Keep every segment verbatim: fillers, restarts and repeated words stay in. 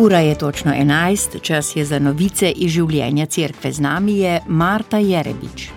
Ura je točno enajst, čas je za novice iz življenja cerkve. Z nami je Marta Jerebič.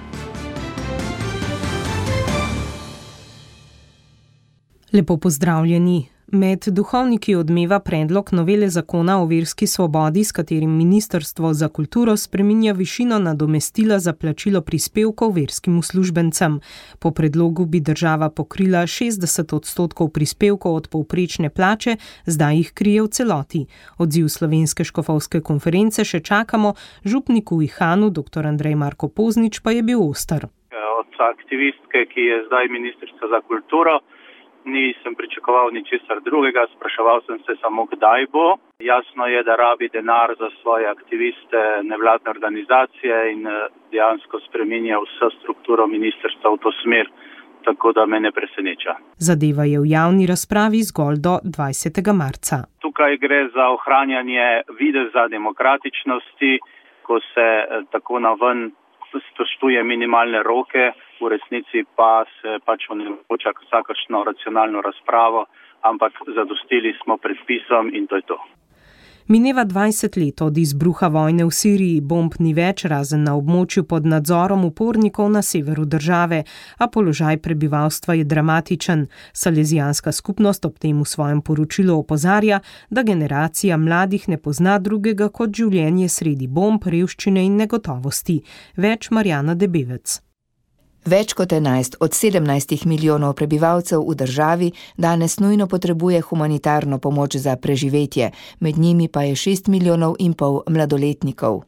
Lepo pozdravljeni. Med duhovniki odmeva predlog novele zakona o verski svobodi, s katerim Ministrstvo za kulturo spreminja višino nadomestila za plačilo prispevkov verskim uslužbencem. Po predlogu bi država pokrila šestdeset odstotkov prispevkov od povprečne plače, zdaj jih krije v celoti. Odziv Slovenske škofovske konference še čakamo, župniku Ihanu, dr. Andrej Marko Poznič, pa je bil oster. Od aktivistke, ki je zdaj ministrica za kulturo, nisem pričakoval ničesar drugega, spraševal sem se samo, kdaj bo. Jasno je, da rabi denar za svoje aktiviste, nevladne organizacije in dejansko spreminja vso strukturo ministrstva v to smer, tako da me ne preseneča. Zadeva je v javni razpravi zgolj do dvajsetega marca. Tukaj gre za ohranjanje videza demokratičnosti, ko se tako naven spoštuje minimalne roke, v resnici pa se pač onemogoča vsakršno racionalno razpravo, ampak zadostili smo predpisom in to je to. Mineva dvajset let od izbruha vojne v Siriji, bomb ni več, razen na območju pod nadzorom upornikov na severu države, a položaj prebivalstva je dramatičen. Salezijanska skupnost ob tem v svojem poročilu opozarja, da generacija mladih ne pozna drugega kot življenje sredi bomb, revščine in negotovosti. Več Marjana Debevec. Več kot enajst od sedemnajstih milijonov prebivalcev v državi danes nujno potrebuje humanitarno pomoč za preživetje, med njimi pa je šest milijonov in pol mladoletnikov.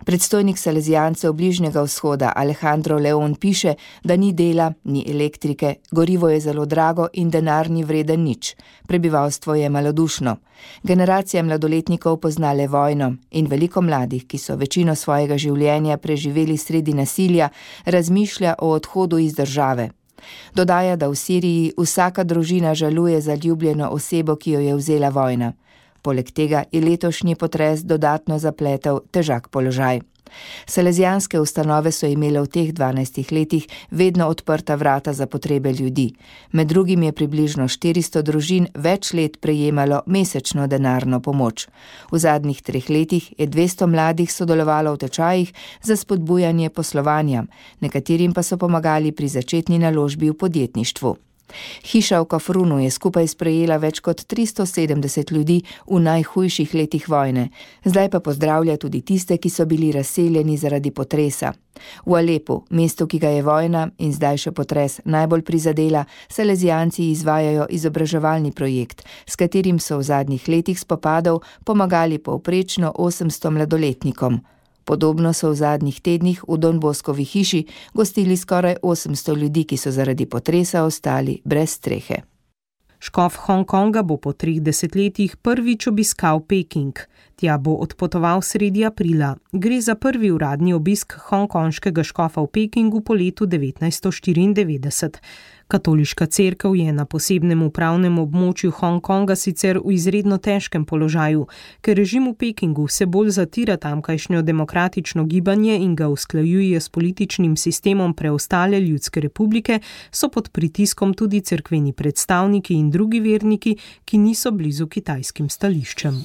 Predstojnik Salezijancev Bližnjega vzhoda Alejandro Leon piše, da ni dela, ni elektrike, gorivo je zelo drago in denar ni vreden nič. Prebivalstvo je malodušno. Generacija mladoletnikov pozna le vojno in veliko mladih, ki so večino svojega življenja preživeli sredi nasilja, razmišlja o odhodu iz države. Dodaja, da v Siriji vsaka družina žaluje za ljubljeno osebo, ki jo je vzela vojna. Poleg tega je letošnji potres dodatno zapletel težak položaj. Salezijanske ustanove so imele v teh dvanajstih letih vedno odprta vrata za potrebe ljudi. Med drugim je približno štiristo družin več let prejemalo mesečno denarno pomoč. V zadnjih treh letih je dvesto mladih sodelovalo v tečajih za spodbujanje poslovanja, nekaterim pa so pomagali pri začetni naložbi v podjetništvu. Hiša v Kafrunu je skupaj sprejela več kot tristo sedemdeset ljudi v najhujših letih vojne. Zdaj pa pozdravlja tudi tiste, ki so bili razseljeni zaradi potresa. V Alepu, mestu, ki ga je vojna in zdaj še potres najbolj prizadela, Salezijanci izvajajo izobraževalni projekt, s katerim so v zadnjih letih spopadov pomagali povprečno osemsto mladoletnikom. Podobno so v zadnjih tednih v Don Boskovi hiši gostili skoraj osemsto ljudi, ki so zaradi potresa ostali brez strehe. Škof Hongkonga bo po treh desetletjih prvič obiskal Peking. Tja bo odpotoval sredi aprila. Gre za prvi uradni obisk hongkonškega škofa v Pekingu po letu devetnajststo štiriindevetdeset. Katoliška cerkev je na posebnem upravnem območju Hongkonga sicer v izredno težkem položaju, ker režim v Pekingu vse bolj zatira tamkajšnjo demokratično gibanje in ga usklajuje s političnim sistemom preostale ljudske republike, so pod pritiskom tudi cerkveni predstavniki in drugi verniki, ki niso blizu kitajskim stališčem.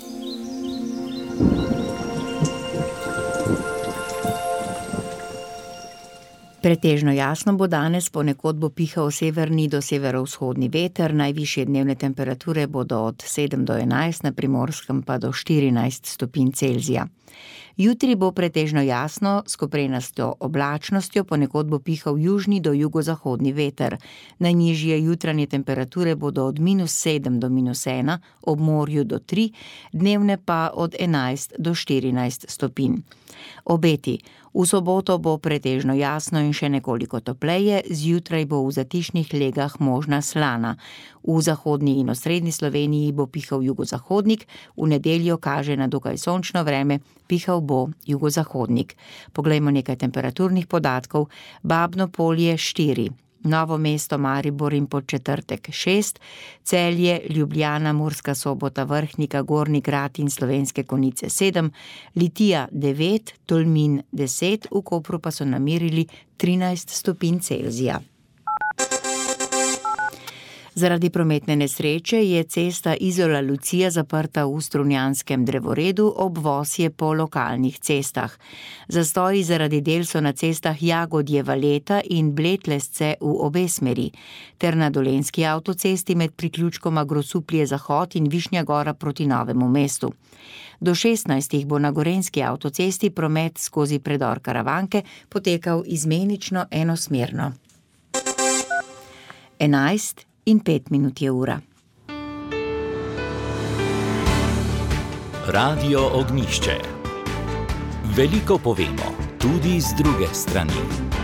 Pretežno jasno bo danes, ponekod bo pihal severni do severovzhodni veter, najvišje dnevne temperature bodo od sedem do enajst, na Primorskem pa do štirinajst stopinj Celzija. Jutri bo pretežno jasno, s koprenasto oblačnostjo, ponekod bo pihal južni do jugozahodni veter. Najnižje jutranje temperature bodo od minus sedem do minus ena, ob morju do tri, dnevne pa od enajst do štirinajst stopinj. Obeti. V soboto bo pretežno jasno in še nekoliko topleje, zjutraj bo v zatišnih legah možna slana. V zahodni in osrednji Sloveniji bo pihal jugozahodnik, v nedeljo kaže na dokaj sončno vreme, pihal bo jugozahodnik. Poglejmo nekaj temperaturnih podatkov. Babno Polje štiri. Novo mesto, Maribor in Podčetrtek šest, Celje, Ljubljana, Murska Sobota, Vrhnika, Gornji Grad in Slovenske Konjice sedem, Litija devet, Tolmin deset, v Kopru pa so namerili trinajst stopinj Celzija. Zaradi prometne nesreče je cesta Izola-Lucija zaprta v Strunjanskem drevoredu, obvoz je po lokalnih cestah. Zastoji zaradi del so na cestah Jagodje-Valeta in Bletlesce v obe smeri, ter na Dolenjski avtocesti med priključkoma Grosuplje-Zahod in Višnja Gora proti Novemu mestu. Do šestnajstih bo na Gorenjski avtocesti promet skozi predor Karavanke potekal izmenično enosmerno. Enajst in pet minut je ura. Radio Ognjišče. Veliko povemo, tudi z druge strani.